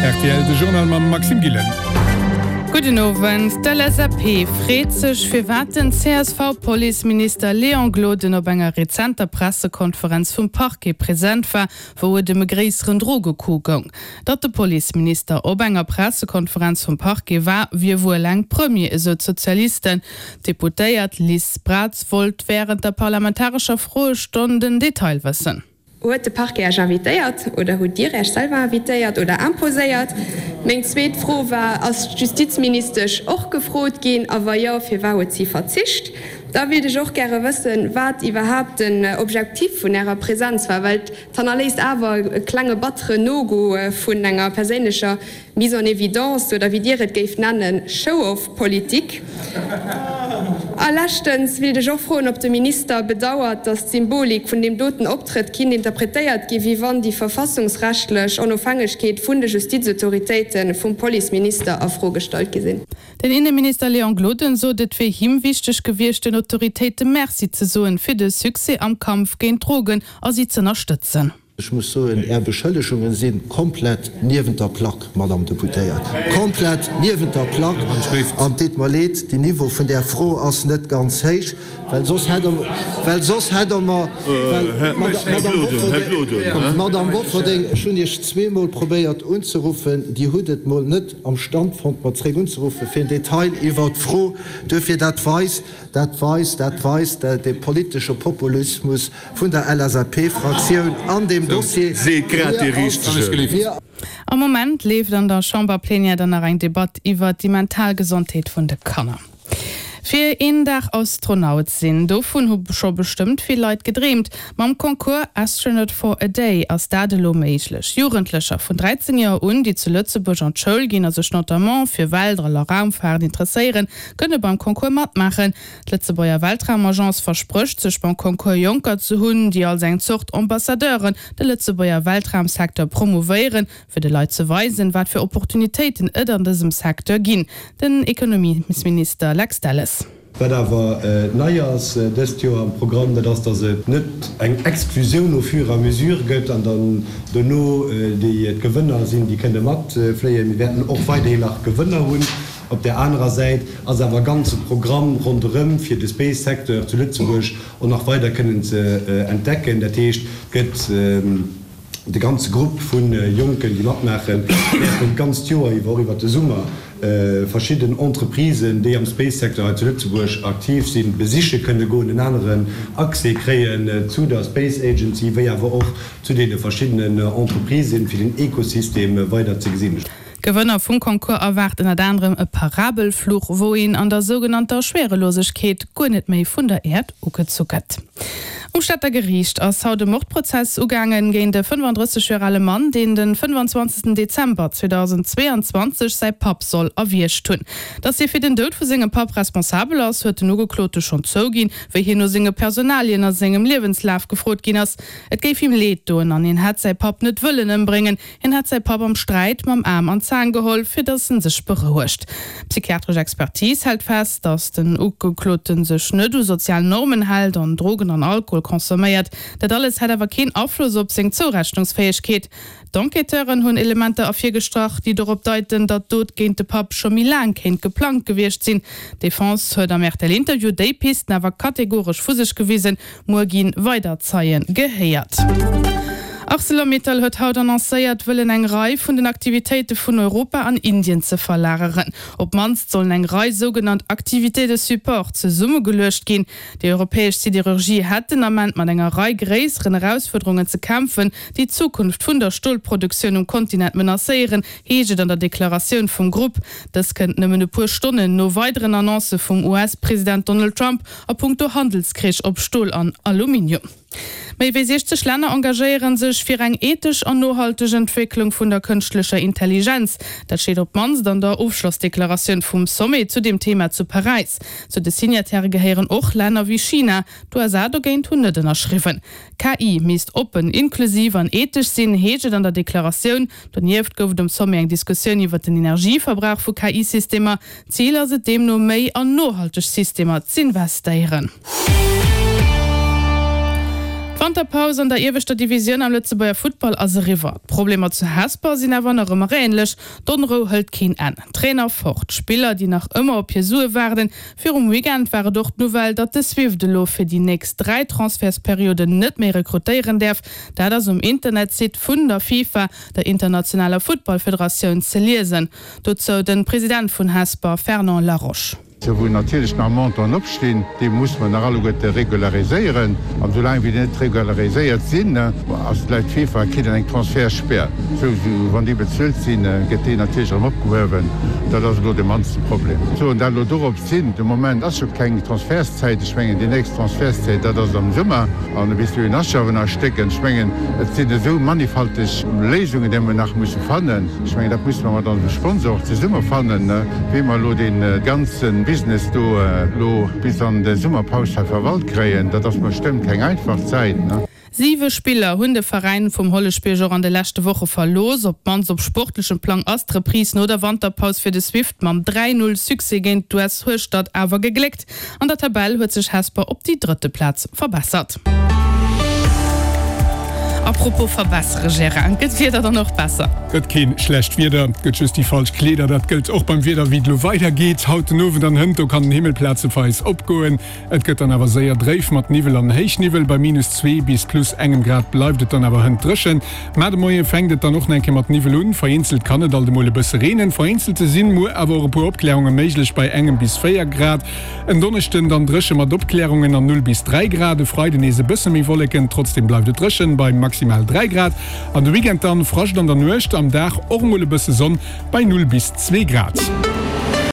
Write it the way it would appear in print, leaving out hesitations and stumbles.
Rtl, de Journal mam Maxime Gillen. Gudden Owend. D'LSAP freet sech, firwat den CSV-Policeminister Léon Gloden op enger rezenter Pressekonferenz vum Parquet present war, wou et ëm e gréisseren Drogecoup goung. Datt de Policeminister op enger Pressekonferenz vum Parquet war, wier wuel eng Première, esou d'Sozialisten. D'Deputéiert Liz Braz wollt wärend der parlamentarescher Froestonn den Detail wëssen. Huet de Parquet Iech invitéiert oder hutt Dir Iech selwer invitéiert oder imposéiert? Meng zweet Fro war, Ass d'Justizministesch och gefrot ginn a wa jo, firwat huet si verzicht? Da willt ech och gäre wëssen, wat iwwerhaapt den Objektif vun Ärer Präsenz war, well et hannerléisst awer e klenge batteren No-Go vun enger perséinlecher Mise en évidence, oder wéi Dir et géift nennen, Show-off-Politik. A leschtens willt ech och froen, ob de Minister bedauert, datt d'Symbolik vun deem doten Optrëtt kinnt interpretéiert gi wéi wann déi verfassungsrechtlech Onofhängegkeet vun de Justizautoritéite vum Policeminister a Fro gestallt gi sinn. Den Inneminister Léon Gloden sot, et wier him wichteg gewiescht, den Autoritéite Merci ze soen, fir de Succès am Kampf géint d'Drogen a si z'ënnerstëtzen. Ech muss soen, Är Beschëllegungen si komplett niewent der Plack, Madame Deputéiert, komplett niewent der Plack. An et deet mer leed, den Niveau vun där Fro ass net ganz héich, well soss hätt Der, well soss hätt Der mer, well, Madame, Madame Bofferding, ech hunn Iech zweemol probéiert unzeruffen, Dir hutt et mol net am Stand fonnt, mer zréck unzeruffen, fir en Detail iwwert d'Fro. Duerfir, dat weist, dat weist, dat weist de politesche Populismus, vun der LSAP-Fraktioun an deem Dossier. Seet grad dee Richtegen. Am Moment leeft an der Chamberplenière dann nach eng Debatt iwwert déi mental Gesondheet vun de Kanner. Fir een Dag Astronaut sinn, dovun hu scho bestëmmt vill Leit gedreemt. Mam Concours Astronaut for a Day ass dat elo méiglech. Jugendlecher vun 13 Joer un, déi zu Lëtzebuerg an d'Schoul ginn a sech notamment fir Weltall a Raumfaart interesséieren, kënne beim Concours matmaachen. D'Lëtzebuerger Weltraumagence versprécht sech beim Concours Jonker ze hunn, déi als eng Zort Ambassadeuren de Lëtzebuerger Weltraumsecteur promouvéieren, fir de Leit ze weisen, wat fir Opportunitéiten et an dësem Secteur ginn. Den Ekonomiesminister Lex Delles. Wat awer nei ass dëst Joer am Programm, dat ass, dass et net eng Exklusioun au fur et à mesure gëtt an dann dono déi d'Gewënner sinn, déi kënne matfléien. Mir wäerten och weiderhin nach Gewënner hunn. Op där anerer Säit ass awer e ganze Programm ronderëm, fir de Space-Secteur zu Lëtzebuerg och nach weider kënnen ze entdecken. Dat heescht, et gëtt de ganze Grupp vu Jonken, déi matmaachen, wäerten d'ganzt Joer iwwer, och iwwert de Summer, verschidden Entreprisen, déi am Space-Secteur hei zu Lëtzebuerg aktiv sinn, besiche kënne goen, en aneren Accès kréien zu der Space Agency, wéi awer och zu deene verschiddenen Entreprisen, fir den Ekosystem weider ze gesinn. D'Gewënner vum Concours erwaart ënnert anerem e Parabelfluch, wou een an der sougenannter Schwerelosegkeet guer net méi vun der Äerd ugezu gëtt. Um Stater Geriicht ass haut e Mordprozess ugaangen géint e 35 Joer ale Mann, deen de 25 Dezember 2022 säi Papp soll erwiergt hunn. Datt hie fir den Doud vu sengem Papp responsabel ass, huet den Ugeklote schonn zouginn, wéi hien no senge Personalien a sengem Liewenslaf gefrot ginn ass. Et géif him leed doen an hien hätt säi Papp net wëllen ëmbréngen. Hien hätt säi Papp am Sträit mam Aarm an d'Zaang geholl, fir datt en sech berouegt. D'psychiatresch Expertise hält fest, datt den Ugeklote sech net u sozial Normen hält an Drogen an Alkohol consomméiert. Dat alles hätt awer keen Afloss op seng Zourechnungsfäegkeet. D'Enquêteuren hunn Elementer ervirgestrach, déi dorop deiten, datt d'Dot géint de Papp scho méi laang kéint geplangt gewiescht sinn. D'Defense huet am RTL-Interview déi Pisten awer kategoresch vu sech gewisen. Muer gi weider Zeie gehéiert. Arcelor-Mittal huet haut annoncéiert, wëllen eng Rei vun den Aktivitéite vun Europa an Indien ze verlageren. Op d'mannst sollen eng Rei sougenannt Activités de support zesummegeluecht ginn. Déi europäesch Siderurgie hätt den Ament mat enger Rei gréisseren Erausfuerderungen ze kämpfen, déi d'Zukunft vun der Stolproduktioun um Kontinent menacéieren, heescht et an der Deklaratioun vum Grupp. Dës kënnt nëmmen e puer Stonnen no weideren Annoncë vum US-President Donald Trump A punkto Handelskrich op Stol an Aluminium. Méi wéi 60 Länner engagéiere sech fir eng ethesch an nohalteg Entwécklung vun der kënschtlecher Intelligenz. Dat steet op d'mannst an der Ofschlossdeklaratioun vum Sommet zu deem Thema zu Paräis. Zu de Signataire gehéieren och Länner wéi China. D'USA dogéint hunn net ënnerschriwwen. KI misst oppen, inklusiv an ethesch sinn, heescht et an der Deklaratioun. Donieft gouf et um Sommet eng Diskussioun iwwer den Energieverbrauch vu KI-Systemer. Zil ass et deemno méi an nohalteg Systemer z'investéieren. D'Wanterpaus an der ieweschter Divisioun am Lëtzebuerger Futtball ass eriwwer. D'Problemer zu Hesper sinn awer nach ëmmer änlech, D'Onrou hëlt keen Enn. Trainer fort, Spiller déi nach ëmmer op hir Sue waarden. Virum Weekend war et och d'Nouvelle, datt de Swift elo fir déi nächst 3 Transfertsperioden net méi rekrutéieren däerf. Dat ass um Internetsite vun der FIFA, der internationaler Futtballfederatioun, ze liesen. Dozou de President vun Hesper, Fernand Laroche. Sou wou natierlech nach Montanten opstinn, déi musse mer nach alleguerte regulariséieren. An soulaang wéi déi net regulariséiert sinn, ass et laut FIFA kritt een eng Transfertspär. Sou wann déi bezuelt sinn, gëtt déi natierlech erëm opgehuewen. Dat ass elo de mannsten Problem. Soen dat elo dorop sinn, de Moment ass jo keng Transfertszäit. Ech mengen déi nächst Transfertszäit, dat ass am Summer. An bis dohin ass jo awer nach e Stéck. Ech mengen et sinn esou mannigfalteg Léisungen, déi mer nach musse fannen. Ech mengen, dat musse mer mat onsem Sponsor och zesumme fannen, wéi mer elo dee ganze Business do elo bis an de Summerpaus hei verwalt kréien. Dat ass bestëmmt keng einfach Zäit. Siwe Spiller hunn de Veräin vum Holleschbierg och an de leschte Woche verlooss. Op d'mannst op sportlechem Plang ass d'Reprise no der Wanterpaus fir de Swift mam 3, 0 Succès géint d'US Hueschtert awer gegléckt. An der Tabell huet sech Hesper op déi drëtte Plaz verbessert. A propos verbessere, Gérard, gëtt d'Wieder dann och besser? Gëtt keen schlecht Wieder, gëtt just déi falsch Kleeder. Dat gëllt och beim Wieder wéi et elo weider geet. Haut den Owend an hënt, do kann den Himmel plazeweis opgoen. Et gëtt dann awer séier dréif mat Niwwel an Héichniwwel. Bei minus 2 bis plus engem Grad bleift et dann awer hënt dréchen. Mar de Moie fänkt et dann och nach eng Kéier mat Niwwel un. Vereenzelt kann et alt emol e bësse reenen. Vereenzelte sinn muer awer och e puer Opklärunge méiglech bei engem bis 4 Grad. En Donneschden dann dréche mat Opklärungen an 0 bis 3 Grad. E Freiden nees e bësse méi Wolleken, trotzdeem bleift et dréchen bei maximal 3 Grad. An de Weekend dann Frascht an der Nuecht, am Dag och emol e bësse Sonn bei 0 bis 2 Grad.